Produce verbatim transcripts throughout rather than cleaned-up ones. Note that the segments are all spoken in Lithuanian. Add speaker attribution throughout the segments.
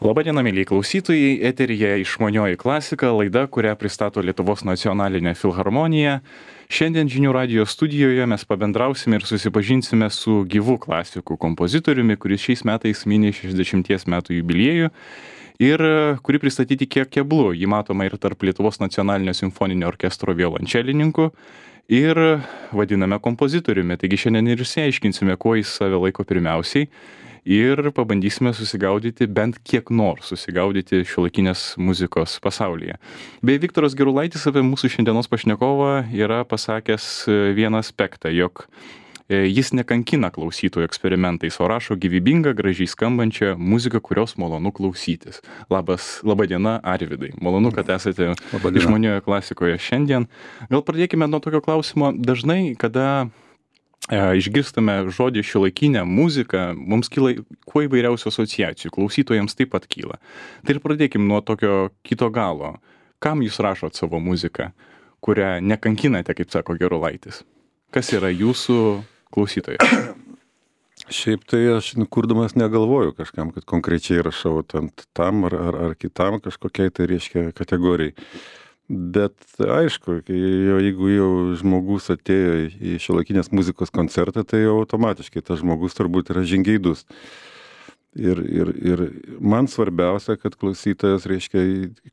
Speaker 1: Labadiena, mėlyje klausytojai, eteryje Išmanioji klasika, laida, kurią pristato Lietuvos nacionalinė filharmonija. Šiandien žinių radijo studijoje mes pabendrausime ir susipažinsime su gyvu klasikų kompozitoriumi, kuris šiais metais mini šešiasdešimties metų jubiliejų ir kurį pristatyti kiek keblu. Jį matoma ir tarp Lietuvos nacionalinio simfoninio orkestro violončelininkų ir vadiname kompozitoriumi. Taigi šiandien ir išsiaiškinsime, kuo jis save laiko pirmiausiai. Ir pabandysime susigaudyti, bent kiek nors susigaudyti šiuolaikinės muzikos pasaulyje. Bei Viktoras Gerulaitis apie mūsų šiandienos pašnekovą yra pasakęs vieną aspektą, jog jis nekankina klausytojų eksperimentais, o rašo gyvybingą, gražiai skambančią muziką, kurios malonu klausytis. Labas, laba diena, Arvydai. Malonu, kad esate Išmanioje klasikoje šiandien. Gal pradėkime nuo tokio klausimo. Dažnai, kada išgirstame žodį šiuolaikinę muziką, mums kyla kuo įvairiausių asociacijų, klausytojams taip pat kyla. Tai ir pradėkim nuo tokio kito galo. Kam jūs rašot savo muziką, kurią nekankinate, kaip sako Gerulaitis? Kas yra jūsų klausytojai?
Speaker 2: Šiaip tai aš kurdamas negalvoju kažkam, kad konkrečiai rašau tam, tam ar, ar, ar kitam kažkokiai tai reiškia kategorijai. Bet aišku, jau, jeigu jau žmogus atėjo į šiuolaikinės muzikos koncertą, tai jau automatiškai tas žmogus turbūt yra žingeidus. Ir, ir, ir man svarbiausia, kad klausytojas, reiškia,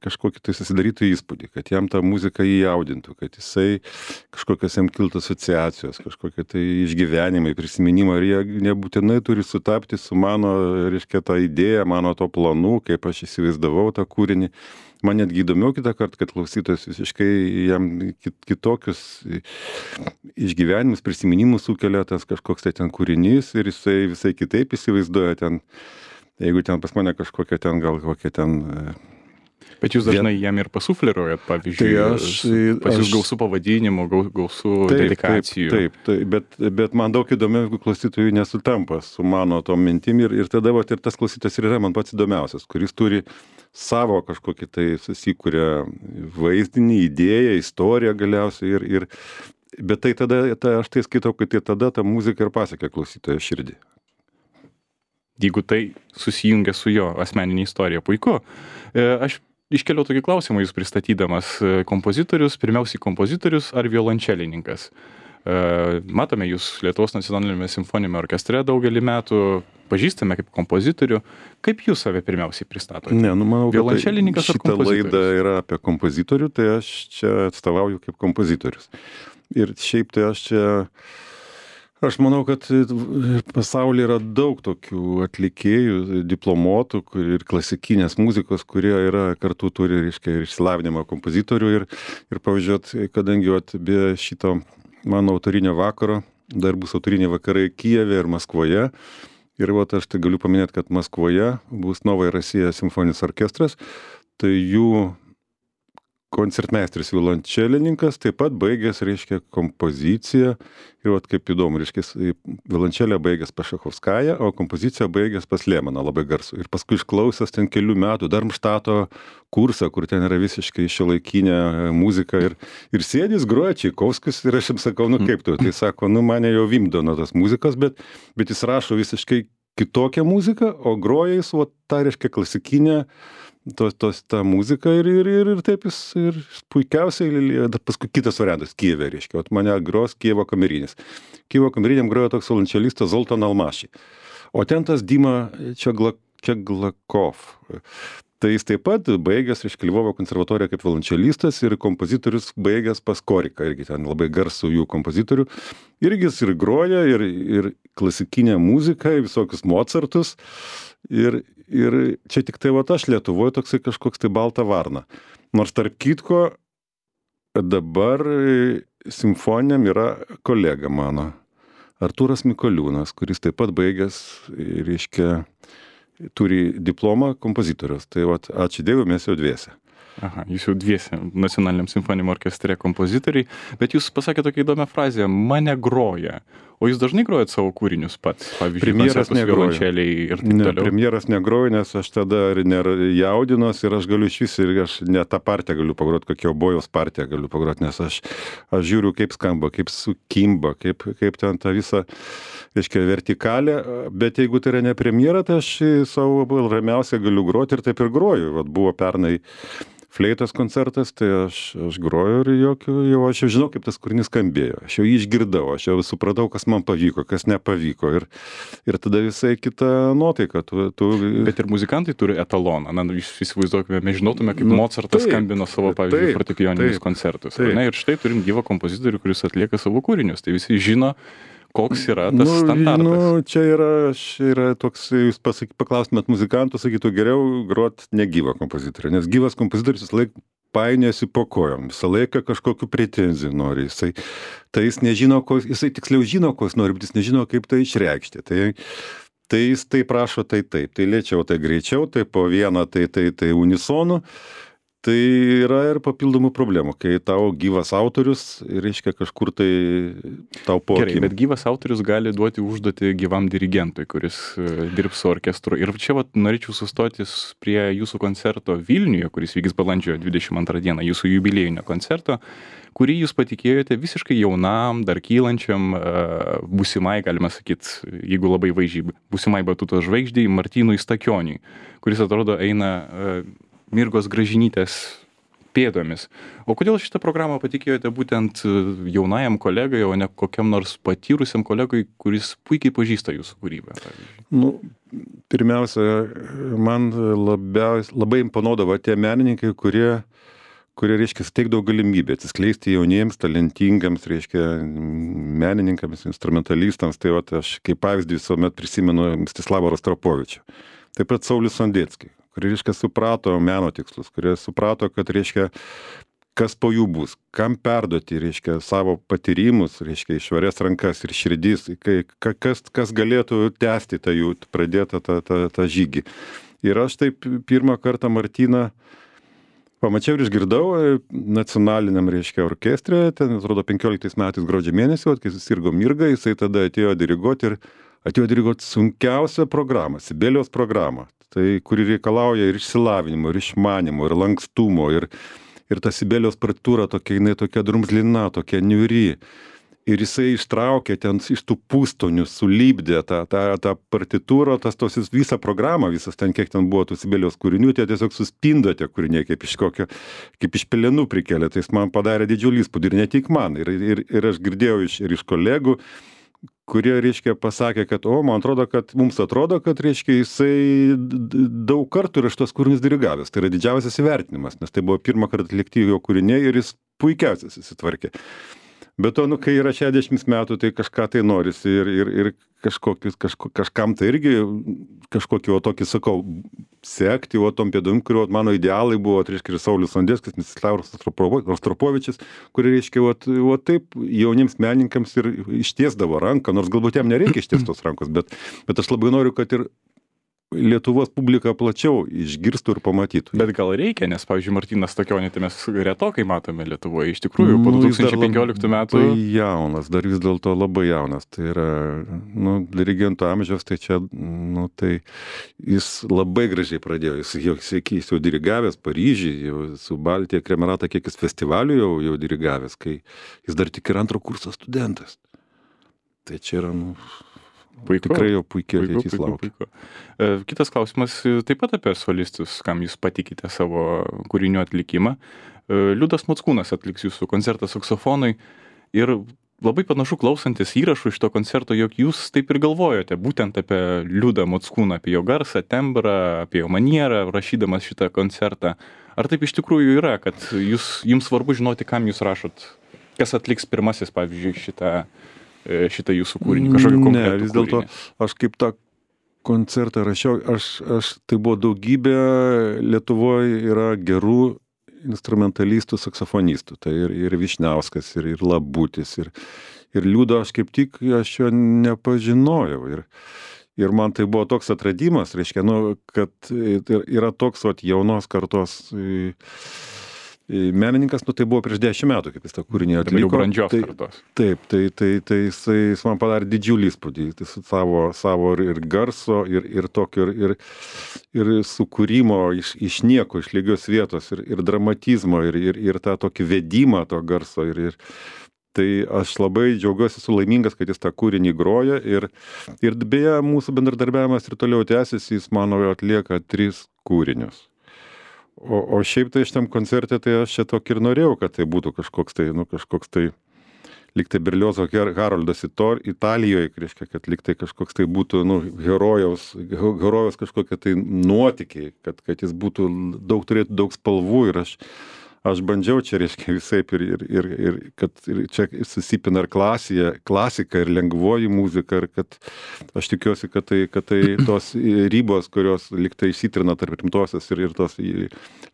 Speaker 2: kažkokį tai susidarytų įspūdį, kad jam tą muziką įjaudintų, kad jisai kažkokios jam kiltų asociacijos, kažkokie tai išgyvenimai, prisiminimai, ir jie nebūtinai turi sutapti su mano, reiškia, tą idėją, mano to planų, kaip aš įsivaizdavau tą kūrinį. Man netgi įdomiau kitą kartą, kad klausytojas visiškai jam kitokius išgyvenimus, prisiminimus sukelia tas kažkoks tai ten kūrinys ir jisai visai kitaip įsivaizduoja ten, jeigu ten pas mane kažkokia ten gal kokia ten...
Speaker 1: Bet jūs dažnai jam ir pasufleruojat, pavyzdžiui, tai aš, pas jūs gausų pavadinimų, gausų taip, dedikacijų.
Speaker 2: Taip, taip, taip, bet, bet man daug įdomiau, jeigu klausytojų nesutampa su mano tom mintim ir, ir tada vat, ir tas klausytojas ir yra man pats įdomiausias, kuris turi savo kažkokį tai susikūrę vaizdinį, idėją, istoriją galiausiai ir, ir bet tai tada, tai aš tai skaitau, kad tai tada ta muzika ir pasiekia klausytojo širdį.
Speaker 1: Jeigu tai susijungia su jo asmeninė istorija, puiku. Aš iškeliau tokį klausimą jūs pristatydamas kompozitorius, pirmiausiai kompozitorius ar violončelininkas. Matome jūs Lietuvos nacionalinėme simfoniniame orkestre daugelį metų, pažįstame kaip kompozitorių. Kaip jūs save pirmiausiai pristatote?
Speaker 2: Ne, nu manau, kad
Speaker 1: tai
Speaker 2: šita laida yra apie kompozitorių, tai aš čia atstovauju kaip kompozitorius. Ir šiaip tai aš čia, aš manau, kad pasaulyje yra daug tokių atlikėjų, diplomuotų ir klasikinės muzikos, kurie yra kartu turi, reiškia, ir išsilavinimą kompozitorių. Ir, ir pavyzdžiui, kadangi vat, be šito mano autorinio vakaro, dar bus autoriniai vakarai Kijeve ir Maskvoje. Ir vat aš tai galiu paminėti, kad Maskvoje bus Novoje Rasija simfoninis orkestras, tai jų koncertmeistris violončelininkas taip pat baigęs, reiškia, kompoziciją. Ir vat kaip įdomu, reiškia, violončelę baigęs pas Šachovskają, o kompoziciją baigęs pas Lemaną, labai garsų. Ir paskui išklausęs ten kelių metų Darmštato kursą, kur ten yra visiškai šiuolaikinė muzika. Ir, ir sėdis, groja Čaikovskis ir aš jam sakau, nu kaip tu? Tai sako, nu mane jau vimdo nuo tos muzikos, bet, bet jis rašo visiškai kitokią muziką, o groja jis, vat, tą, reiškia, klasikinę, tos, tos, tą muziką ir, ir, ir, ir taip jis ir puikiausiai, paskui kitas variantas, Kijeve, reiškia, vat mane gros Kijevo kamerinis. Kijevo kameriniam grojo toks violončelistas Zoltan Almaši. O ten tas Dima Čeglakov. Tai jis taip pat baigęs, reiškia, Lvovo konservatoriją kaip violončelistas ir kompozitorius baigęs pas Koriką, irgi ten labai garsų jų kompozitorių. Irgi jis ir groja, ir, ir klasikinę muziką, visokius Mozartus. Ir, ir čia tik tai vat aš Lietuvoje toksai kažkoks tai balta varna. Nors tarp kitko dabar simfoniniam yra kolega mano, Artūras Mikoliūnas, kuris taip pat baigęs, reiškia, turi diplomą kompozitorius. Tai vat, ačiū Dievui, mes jau dviese.
Speaker 1: Aha, jūs jau dviese nacionaliniam simfoniniam orkestre kompozitoriai, bet jūs pasakėte tokią įdomią frazę, mane groja. O jūs dažnai grojat savo kūrinius pats, pavyzdžiui,
Speaker 2: premjeras negroja.
Speaker 1: Ir taip
Speaker 2: ne,
Speaker 1: toliau?
Speaker 2: Premjeras negroja, nes aš tada jaudinos ir aš galiu iš vis ir aš ne tą partiją galiu pagroti, kokią obojaus partiją galiu pagroti, nes aš, aš žiūriu, kaip skamba, kaip sukimba, kaip, kaip ten tą visą reiškia, vertikalę, bet jeigu tai yra ne premjera, tai aš savo ramiausiai galiu groti ir taip ir groju. Vat buvo pernai fleitos koncertas, tai aš, aš groju ir jokių, jau aš jau žinau, kaip tas kūrinys skambėjo. Aš jau jį išgirdau, aš jau supratau, kas man pavyko, kas nepavyko. Ir, ir tada visai kita nuotaika. Tu, tu...
Speaker 1: Bet ir muzikantai turi etaloną. Na, įsivaizduokime, mes žinotume, kaip
Speaker 2: Nu,
Speaker 1: Mocartas
Speaker 2: taip,
Speaker 1: skambino savo, pavyzdžiui,
Speaker 2: taip,
Speaker 1: fortepijoninius
Speaker 2: taip,
Speaker 1: koncertus.
Speaker 2: taip.
Speaker 1: Na, ir štai turim gyvą kompozitorių, kuris atlieka savo kūrinius. Tai visi žino, koks yra tas standartas.
Speaker 2: Nu, čia yra, čia yra toks, jūs pasaky, paklaustumėt muzikantų, sakytų geriau grot negyvą kompozitorių, nes gyvas kompozitorius visą laiką painiojasi po kojom, visą laiką kažkokių pretenzijų nori. Jisai, tai jis nežino, ko, jisai tiksliau žino, ko jis nori, bet jis nežino, kaip tai išreikšti. Tai, tai jis tai prašo, tai taip, tai lėčiau, tai greičiau, tai po vieną, tai, tai, tai unisonu. Tai yra ir papildomų problemų, kai tau gyvas autorius, reiškia kažkur tai tau po
Speaker 1: Gerai,
Speaker 2: akim.
Speaker 1: bet gyvas autorius gali duoti užduotį gyvam dirigentui, kuris e, dirbs su orkestru. Ir čia vat norėčiau sustotis prie jūsų koncerto Vilniuje, kuris vyks balandžio dvidešimt antrą dieną, jūsų jubiliejinio koncerto, kurį jūs patikėjote visiškai jaunam, dar kylančiam, e, būsimai, galima sakyti, jeigu labai vaizdžiai, būsimai batuto žvaigždei Martynui Stakioniui, kuris atrodo eina e, Mirgos Gražinytės pėdomis. O kodėl šitą programą patikėjote būtent jaunajam kolegai, o ne kokiam nors patyrusiam kolegai, kuris puikiai pažįsta jūsų kūrybą? Pavyzdžiui?
Speaker 2: Nu, pirmiausia, man labiausiai, labai imponuodavo tie menininkai, kurie, kurie reiškia, steigdavo galimybę atsiskleisti jauniems, talentingams, reiškia, menininkams, instrumentalistams. Tai va, aš kaip pavyzdį visuomet prisimenu Mstislavą Rostropovičių. Taip pat Saulius Sondeckį, kurie, reiškia, suprato meno tikslus, kurie suprato, kad, reiškia, kas po jų bus, kam perduoti, reiškia, savo patyrimus, reiškia, iš švarias rankas ir širdis, kai, kas, kas galėtų tęsti tą jų pradėtą tą, tą, tą žygį. Ir aš taip pirmą kartą Martyną pamačiau ir išgirdau nacionaliniam, reiškia, orkestre, ten, atrodo, penkioliktais metais gruodžio mėnesį, kai susirgo Mirga, jisai tada atėjo diriguoti ir atėjo diriguoti sunkiausią programą, Sibelijaus programą. Tai, kuri reikalauja ir išsilavinimo, ir išmanimo, ir lankstumo, ir, ir ta Sibelijaus partitūra tokia, jinai tokia drumzlina, tokia niuri. Ir jisai ištraukė ten iš tų pustonių, sulybdė tą, tą, tą partitūrą, tas tos visą programą, visas ten, kiek ten buvo tų Sibelijaus kūrinių, tie tiesiog suspindo tie kūriniai, kaip iš kokio, kaip iš pelenų prikėlė. Tai jis man padarė didžiulį įspūdį ir ne tik man. Ir, ir, ir aš girdėjau iš, ir iš kolegų, kurie, reiškia, pasakė, kad, o, man atrodo, kad mums atrodo, kad, reiškia, jisai daug kartų yra šitos kūrinius dirigavęs. Tai yra didžiausias įvertinimas, nes tai buvo pirmą kartą atlikti jo kūriniai ir jis puikiausiai susitvarkė. Bet to, nu, kai yra šešiasdešimt metų, tai kažką tai norisi ir, ir, ir kažkokius, kažko, kažkam tai irgi kažkokį, o tokį, sakau, sekti, o tom pėdom, kurio mano idealai buvo, tai reiškia, ir Saulius Sondeckis, Mstislavas Rostropovičius, kurie, reiškia, o, o taip jauniems menininkams ir ištiesdavo ranką, nors galbūt jam nereikia išties tos rankos, bet, bet aš labai noriu, kad ir Lietuvos publika plačiau išgirstų ir pamatytų.
Speaker 1: Bet gal reikia, nes, pavyzdžiui, Martynas Stakionį tai mes retokai matome Lietuvoje. Iš tikrųjų, po du tūkstančiai penkioliktų metų...
Speaker 2: Labai jaunas, dar vis dėlto labai jaunas. Tai yra, nu, dirigento amžiaus, tai čia, nu, tai jis labai gražiai pradėjo. Jis jau, jis jau dirigavęs Paryžiui, jau su Baltija Kremerata, kiek jis festivalių jau, jau dirigavęs, kai jis dar tik ir antro kurso studentas. Tai čia yra, nu...
Speaker 1: Puiku.
Speaker 2: Tikrai jau puikiai ateitis laukia.
Speaker 1: Kitas klausimas taip pat apie solistus, kam jūs patikite savo kūrinių atlikimą. Liudas Mockūnas atliks jūsų koncertą saksofonui ir labai panašu klausantis įrašų iš to koncerto, jog jūs taip ir galvojote būtent apie Liudą Mockūną, apie jo garsą, tembrą, apie jo manierą, rašydamas šitą koncertą. Ar taip iš tikrųjų yra, kad jūs, jums svarbu žinoti, kam jūs rašot, kas atliks pirmasis, pavyzdžiui, šitą šitą jūsų kūrinį, kažkokį konkretų kūrinį?
Speaker 2: Ne, vis dėlto aš kaip tą koncertą rašiau, aš, aš tai buvo daugybė, Lietuvoje yra gerų instrumentalistų, saksofonistų, tai ir, ir Vyšniauskas, ir, ir Labutis, ir, ir Liudo aš kaip tik, aš jo nepažinojau. Ir, ir man tai buvo toks atradimas, reiškia, nu, kad yra toks vat, jaunos kartos menininkas, nu tai buvo prieš dešimt metų, kaip jis tą kūrinį atliko.
Speaker 1: Jau brandžios
Speaker 2: tai,
Speaker 1: kartos.
Speaker 2: Taip, tai, tai, tai jisai, jis man padarė didžiulį įspūdį, tai savo, savo ir garso, ir, ir tokio, ir, ir sukūrimo iš, iš nieko, iš lygios vietos, ir, ir dramatizmo, ir, ir, ir tą tokį vedimą to garso. Ir, ir, Tai aš labai džiaugiuosi, esu laimingas, kad jis tą kūrinį groja ir, ir beje, mūsų bendradarbiavimas ir toliau tęsiasi, jis mano atlieka tris kūrinius. O, o šiaip tai šitam koncerte, tai aš čia tokį ir norėjau, kad tai būtų kažkoks tai, nu, kažkoks tai, lyg tai Berliozo Haroldas Italijoje, reiškia, kad lyg tai kažkoks tai būtų, nu, herojaus, herojaus kažkokie tai nuotykiai, kad, kad jis būtų daug, turėtų daug spalvų ir aš Aš bandžiau čia, reiškia, visaip ir, ir, ir, ir kad ir čia susipina ir klasija, klasika, ir lengvoji muzika, ir kad aš tikiuosi, kad tai, kad tai tos ribos, kurios lyg tai įsitrina tarp rimtosios ir, ir tos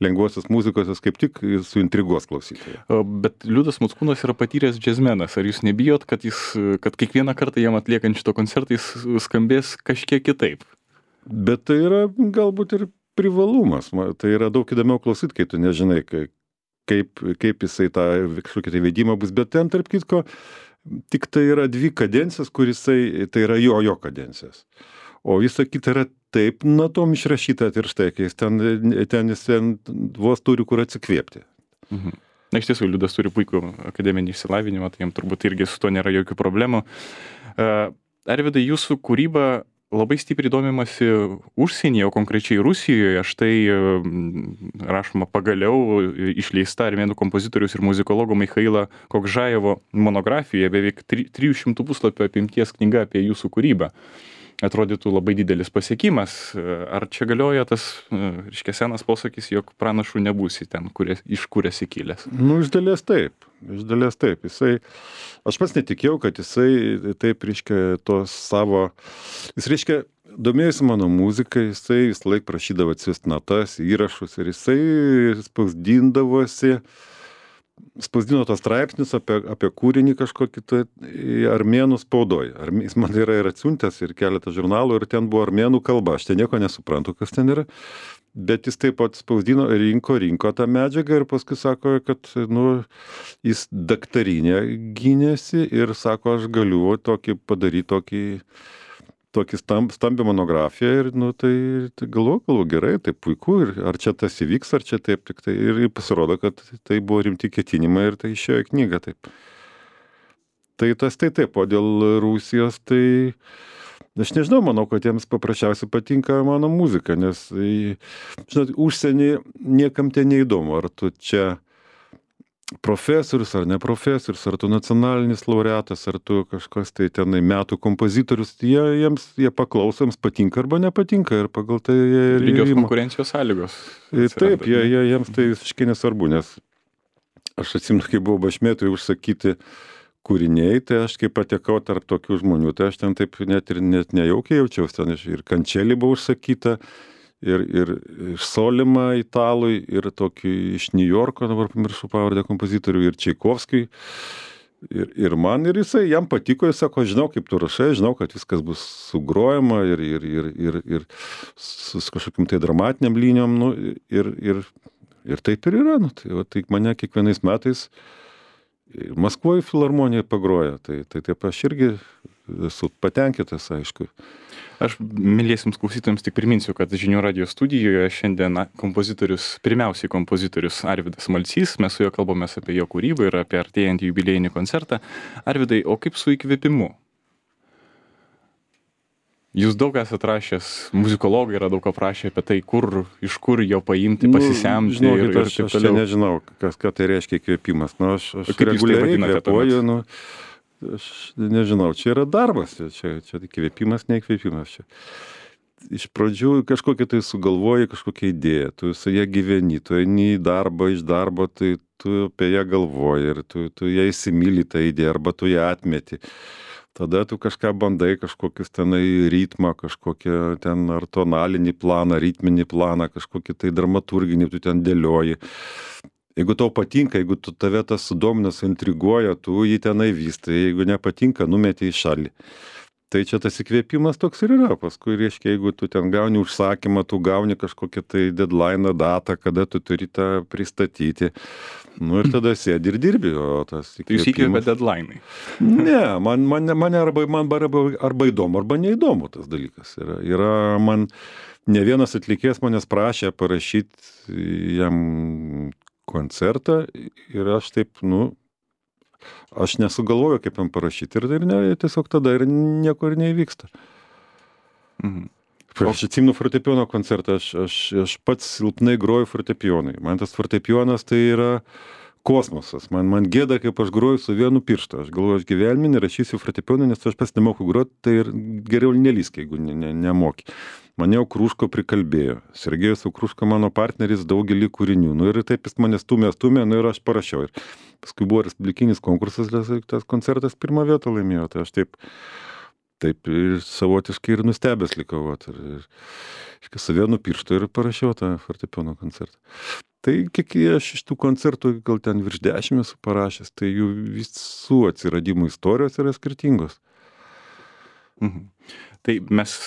Speaker 2: lengvosios muzikos, jos kaip tik suintriguos klausytoją.
Speaker 1: Bet Liudas Mockūnas yra patyręs džiazmenas. Ar jūs nebijot, kad, jis, kad kiekvieną kartą jam atliekant šito koncertą jis skambės kažkiek kitaip?
Speaker 2: Bet tai yra galbūt ir privalumas. Tai yra daug įdomiau klausyti, kai tu nežinai, kai Kaip, kaip jisai tą kažkokį tai veidimą bus, bet ten, tarp kitko, tik tai yra dvi kadencijas, kur jisai, tai yra jo, jo kadencijos. O visa kita yra taip natom išrašyta ir štai, kai jis ten, ten jis ten vos turi kur atsikvėpti.
Speaker 1: Mhm. Na, iš tiesų, Liudas turi puikų akademinį išsilavinimą, tai jam turbūt irgi su to nėra jokių problemų. Uh, Arvydai, jūsų kūryba labai stipriai domimasi užsienyje, o konkrečiai Rusijoje. Štai rašoma pagaliau išleista armėnų kompozitorius ir muzikologo Michailo Kokžajevo monografija, beveik trijų šimtų puslapių apimties knyga apie jūsų kūrybą. Atrodytų labai didelis pasiekimas. Ar čia galioja tas, reiškia, senas posakis, jog pranašų nebūsi ten, kuris, iš kur esi kilęs?
Speaker 2: Nu, iš dalies taip. Iš dalies taip. Jisai, aš pats netikėjau, kad jisai taip, reiškia, tos savo, jis, reiškia, domėjosi mano muziką, jisai vis laik prašydavo atsiųsti natas, įrašus ir jisai spausdindavosi, spausdino tos straipsnius apie, apie kūrinį kažkokį tai armėnų spaudoj. Jis man yra ir atsiuntęs ir keletą žurnalų ir ten buvo armėnų kalba. Aš ten nieko nesuprantu, kas ten yra. Bet jis taip pat spausdino, rinko, rinko tą medžiagą ir paskui sako, kad nu, jis daktarinę gynėsi ir sako, aš galiu tokį padaryti tokį, tokį stamb, stambią monografiją ir nu, tai, tai galvoju, galvoju, gerai, tai puiku ir ar čia tas įvyks, ar čia taip tik tai ir pasirodo, kad tai buvo rimti ketinimai ir tai išėjo į knygą taip. Tai tas tai taip, o dėl Rusijos tai aš nežinau, manau, kad jiems paprasčiausiai patinka mano muzika, nes, žinot, užsienį niekam ten neįdomu, ar tu čia profesorius ar ne profesorius, ar tu nacionalinis laureatas, ar tu kažkas tai tenai metų kompozitorius, jie, jiems, jie paklauso, jiems patinka arba nepatinka ir pagal tai jie...
Speaker 1: Lygios konkurencijos sąlygos.
Speaker 2: Taip, jie, jie, jiems tai visiškai nesvarbu, nes aš atsimenu, kai buvau Bašmėtui užsakyti kūriniai, tai aš kai patekau tarp tokių žmonių, tai aš ten taip net ir net nejaukiai jaučiausi, ten ir Kančelį buvo užsakyta, ir, ir Solima italui, ir tokį iš New Yorko, dabar pamiršau pavardę kompozitorių, ir Čaikovskiui. Ir, ir man, ir jisai, jam patiko, jis sako, žinau, kaip tu rašai, žinau, kad viskas bus sugrojama ir, ir, ir, ir, ir su kažkokiam tai dramatiniam linijom, nu, ir, ir, ir taip ir yra, nu, tai, va, tai mane kiekvienais metais Maskvoje filharmonija pagroja, tai, tai taip aš irgi esu patenkintas, aišku.
Speaker 1: Aš mėliesiams klausytojams tik priminsiu, kad Žinių radijo studijoje šiandien kompozitorius, pirmiausiai kompozitorius Arvydas Malcys, mes su juo kalbamės apie jo kūrybą ir apie artėjantį jubiliejinį koncertą. Arvydai, o kaip su įkvėpimu? Jūs daug esate rašęs, muzikologai yra daug aprašę apie tai, kur, iš kur jo paimti, pasisemti.
Speaker 2: Nu, žinokit, ir, ir aš, aš čia nežinau, kas, ką tai reiškia įkvėpimas. Nu, aš aš reguliariai kvėpuoju, nu, aš nežinau, čia yra darbas, čia, čia įkvėpimas, neįkvėpimas. Čia. Iš pradžių kažkokia tai sugalvoji, kažkokia idėja, tu su ją gyveni, tu eini į darbą, iš darbo, tai tu apie ją galvoji ir tu, tu ją įsimyli tą idėją arba tu ją atmeti. Tada tu kažką bandai, kažkokius tenai ritmą, kažkokią ten ar tonalinį planą, ritminį planą, kažkokį tai dramaturginį, tu ten dėlioji. Jeigu tau patinka, jeigu tu tave tas sudomina, suintriguoja, tu jį tenai vystai, jeigu nepatinka, numeti į šalį. Tai čia tas įkvėpimas toks ir yra. Paskui, reiškia, jeigu tu ten gauni užsakymą, tu gauni kažkokią tai deadline datą, kada tu turi tą pristatyti. Nu ir tada sėdi ir dirbi, o tas įkvėpimas...
Speaker 1: Tai jūs įkvėpė deadline'ai?
Speaker 2: Ne, man, man, man, arba, man arba, arba įdomu, arba neįdomu tas dalykas. Yra, yra man, ne vienas atlikėjas manęs prašė parašyti jam koncertą ir aš taip, nu, aš nesugalvoju, kaip jam parašyti. Ir, ir ne, tiesiog tada ir nieko ir neįvyksta.
Speaker 1: Mhm.
Speaker 2: Aš atsimenu fortepijono koncertą, aš, aš, aš pats silpnai groju fortepijonai. Man tas fortepijonas tai yra kosmosas. Man, man gėda, kaip aš groju su vienu pirštu. Aš galvoju, aš gyvenime nerašysiu fortepijoną, nes aš pats nemoku groti, tai ir geriau nelysk, jeigu ne, ne, nemoki. Mane Okruško prikalbėjo. Sergejus Okruško mano partneris daugelį kūrinių. Nu ir taip jis mane stumė, stumė, nu ir aš parašiau. Ir paskui buvo respublikinis konkursas, tas koncertas pirmą vietą laimėjo. Tai aš taip... Taip ir savotiškai ir nustebęs likau, vat, ir, ir su vienu pirštu ir parašiau tą fortepijono koncertą. Tai kiek aš iš tų koncertų, gal ten virš dešimt esu parašęs, tai jų visų atsiradimų istorijos yra skirtingos.
Speaker 1: Mhm. Tai mes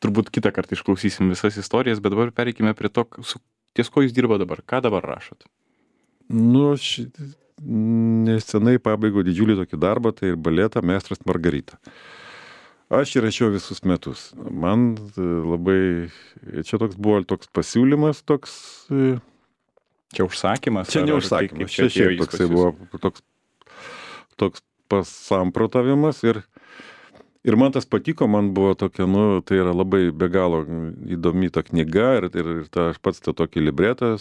Speaker 1: turbūt kitą kartą išklausysim visas istorijas, bet dabar pereikime prie to, su, ties ko jūs dirba dabar, ką dabar rašot? Nu,
Speaker 2: aš nesenai pabaigiau didžiulį tokį darbą, tai ir baletą Meistras Margarita. Aš įrašiau visus metus. Man labai, čia toks buvo toks pasiūlymas, toks...
Speaker 1: Čia užsakymas?
Speaker 2: Čia ne užsakymas, čia šiaip toksai buvo toks, toks pasamprotavimas ir, ir man tas patiko, man buvo tokia, nu, tai yra labai be galo įdomi ta knyga ir, ir, ir ta, aš pats tą tokį libretą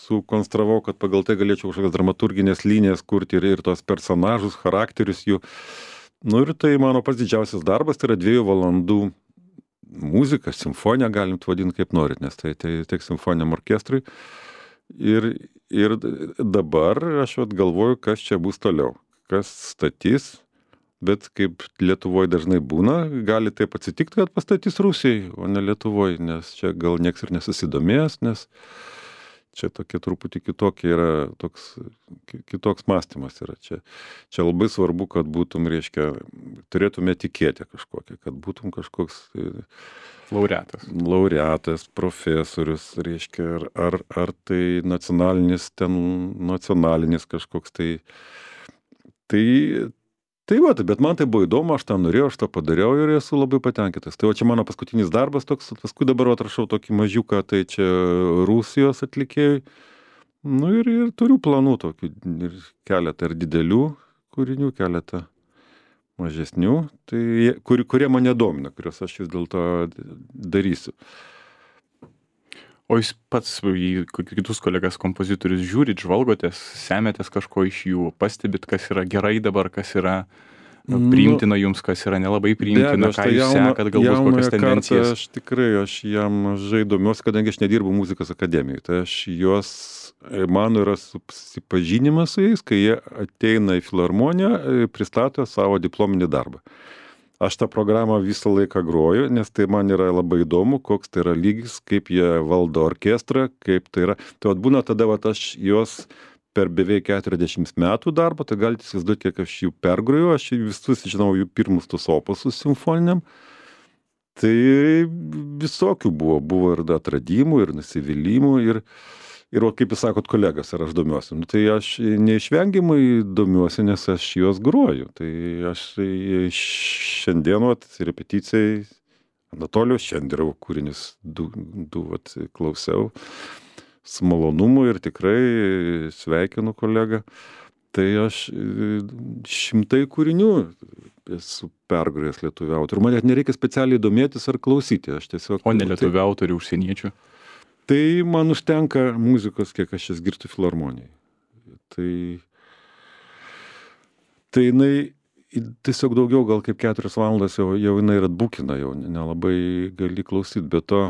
Speaker 2: sukonstravau, kad pagal tai galėčiau kažkokias dramaturginės linijas kurti ir, ir tos personažus, charakterius jų. Nu ir tai mano pats didžiausias darbas, tai yra dviejų valandų muzika, simfonija, galim vadinti kaip norit, nes tai, tai tiek simfoniniam orkestrui. Ir, ir dabar aš vat galvoju, kas čia bus toliau, kas statys, bet kaip Lietuvoje dažnai būna, gali taip atsitikti, kad pastatys Rusijai, o ne Lietuvoje, nes čia gal nieks ir nesusidomės, nes čia tokie truputį kitokie yra, toks, kitoks mąstymas yra. Čia, čia labai svarbu, kad būtum, reiškia, turėtume etiketę kažkokią, kad būtum kažkoks...
Speaker 1: Laureatas.
Speaker 2: Laureatas, profesorius, reiškia, ar, ar, ar tai nacionalinis, ten nacionalinis kažkoks, tai... Tai, tai va, bet man tai buvo įdomu, aš tą norėjau, aš tą padariau ir esu labai patenkintas. Tai va čia mano paskutinis darbas toks, paskui dabar atrašau tokį mažiuką, tai čia Rusijos atlikėjai. Nu ir, ir turiu planų tokių, ir keletą ir didelių kūrinių, keletą mažesnių, tai, kur, kurie mane domina, kuriuos aš vis dėlto darysiu.
Speaker 1: O jūs pats į kitus kolegas kompozitorius žiūrit, žvalgotės, semėtės kažko iš jų, pastebit, kas yra gerai dabar, kas yra priimtina jums, kas yra nelabai priimtina, ką jūs sekat, galbūt kokias tendencijas.
Speaker 2: Aš tikrai, aš jam mažai domiuosi, kadangi aš nedirbu muzikos akademijoje, tai aš juos, mano yra susipažinimas su jais, kai jie ateina į filharmoniją, pristato savo diplominį darbą. Aš tą programą visą laiką groju, nes tai man yra labai įdomu, koks tai yra lygis, kaip jie valdo orkestrą, kaip tai yra. Tai vat būna tada, vat aš juos per beveik keturiasdešimt metų darbą, tai galite įsivaizduoti, kiek aš jų pergroju, aš visus žinau jų pirmus tus opusus simfoniniam. Tai visokių buvo, buvo ir atradimų, ir nusivylimų, ir, ir o kaip jūs sakot, kolegas, ar aš domiuosi. Nu, tai aš neišvengiamai domiuosi, nes aš juos groju. Tai aš šiandien, vat, repeticijai, Anatolijos Šenderovo kūrinius du, du vat, klausiau su malonumu ir tikrai sveikinu kolegą. Tai aš šimtai kūrinių esu pergrojęs lietuvių autorių. Man net nereikia specialiai domėtis ar klausyti. Aš tiesiog,
Speaker 1: o ne lietuvių autorių, užsieniečių?
Speaker 2: Tai man užtenka muzikos, kiek aš jas girtų filharmonijai. Tai, tai jinai tiesiog daugiau, gal kaip keturias valandas jau, jau jinai ir atbukina, jau nelabai gali klausyti, bet to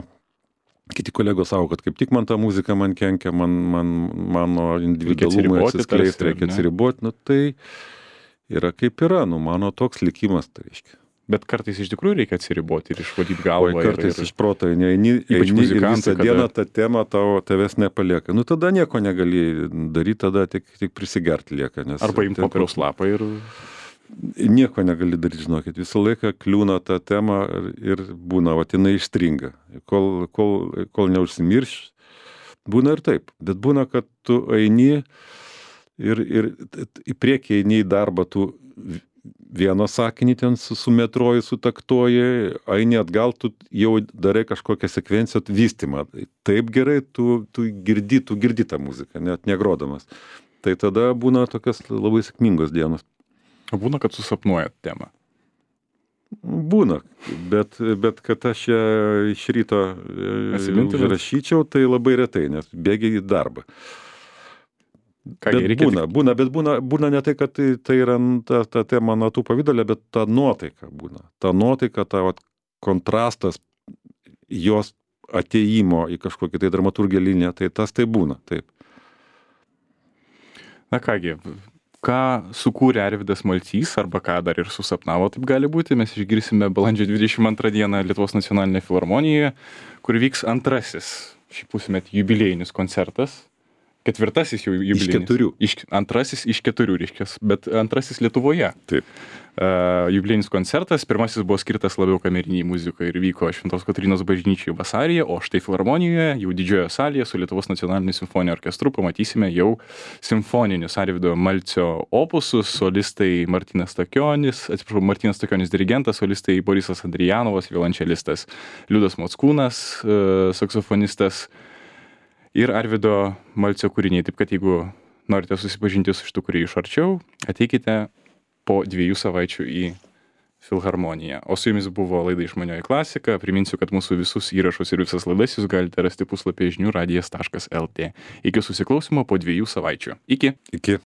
Speaker 2: kiti kolegos savo, kad kaip tik man ta muzika man kenkia, man, man, mano individualumui atsiskleisti, reikia atsiriboti, nu tai yra kaip yra, nu mano toks likimas, tai reiškia.
Speaker 1: Bet kartais iš tikrųjų reikia atsiriboti ir išvalyti galvą.
Speaker 2: O kartais ir, iš proto, eini, eini ir visą kada... dieną tą temą tavo, tavęs nepalieka. Nu tada nieko negali daryti, tada tik, tik prisigerti lieka. Nes
Speaker 1: arba imti popieriaus lapą ir...
Speaker 2: Nieko negali daryti, žinokit. Visą laiką kliūna tą temą ir būna, va, jinai ištringa. Kol, kol, kol neužsimirš, būna ir taip. Bet būna, kad tu eini ir, ir į priekį eini į darbą, tu vieną sakinį ten su, su metroju sutaktoji, eini atgal, tu jau darai kažkokią sekvenciją vystymą. Taip gerai, tu, tu girdi, tu girdi tą muziką, net negrodamas. tai tada būna tokios labai sėkmingos dienos.
Speaker 1: O būna, kad susapnuojat temą?
Speaker 2: Būna, bet, bet kad aš ją iš ryto užrašyčiau, tai labai retai, nes bėgiai į darbą.
Speaker 1: Ką,
Speaker 2: Bet
Speaker 1: reikia
Speaker 2: būna,
Speaker 1: tik...
Speaker 2: būna, bet būna, būna ne tai, kad tai, tai yra ta, ta tema natų pavidalė, bet ta nuotaika būna. Ta nuotaika, ta vat, kontrastas jos atėjimo į kažkokį tai dramaturgiją liniją, tai tas tai būna, taip.
Speaker 1: Na kągi, ką sukūrė Arvydas Malcys, arba ką dar ir susapnavo, taip gali būti, mes išgirsime balandžio dvidešimt antrą dieną Lietuvos nacionalinėje filharmonijoje, kur vyks antrasis šį pusmetį jubiliejinis koncertas. Ketvirtasis jau jubiliejinis.
Speaker 2: Iš keturių.
Speaker 1: Iš, antrasis iš keturių, reiškia, bet antrasis Lietuvoje.
Speaker 2: Taip.
Speaker 1: Uh, jubiliejinis koncertas, pirmasis buvo skirtas labiau kameriniai muzikai ir vyko Šventos Kotrynos bažnyčiai vasaryje, o štai filharmonijoje, jau didžiojoje salėje su Lietuvos nacionaliniu simfoniniu orkestru pamatysime jau simfoninius Arvydo Malcio opusus, solistai Martynas Stakionis, atsiprašau, Martynas Stakionis dirigentas, solistai Borisas Andrijanovas, violončelistas Liudas Mockūnas, uh, saksofonistas, ir Arvydo Malcio kūriniai. Taip kad jeigu norite susipažinti su šitų kūrėjų iš arčiau, ateikite po dviejų savaičių į filharmoniją. O su jumis buvo laida Išmanioji klasika. Priminsiu, kad mūsų visus įrašus ir visas laidas jūs galite rasti puslapyje žinių radijas taškas lt. Iki susiklausimo po dviejų savaičių. Iki.
Speaker 2: Iki.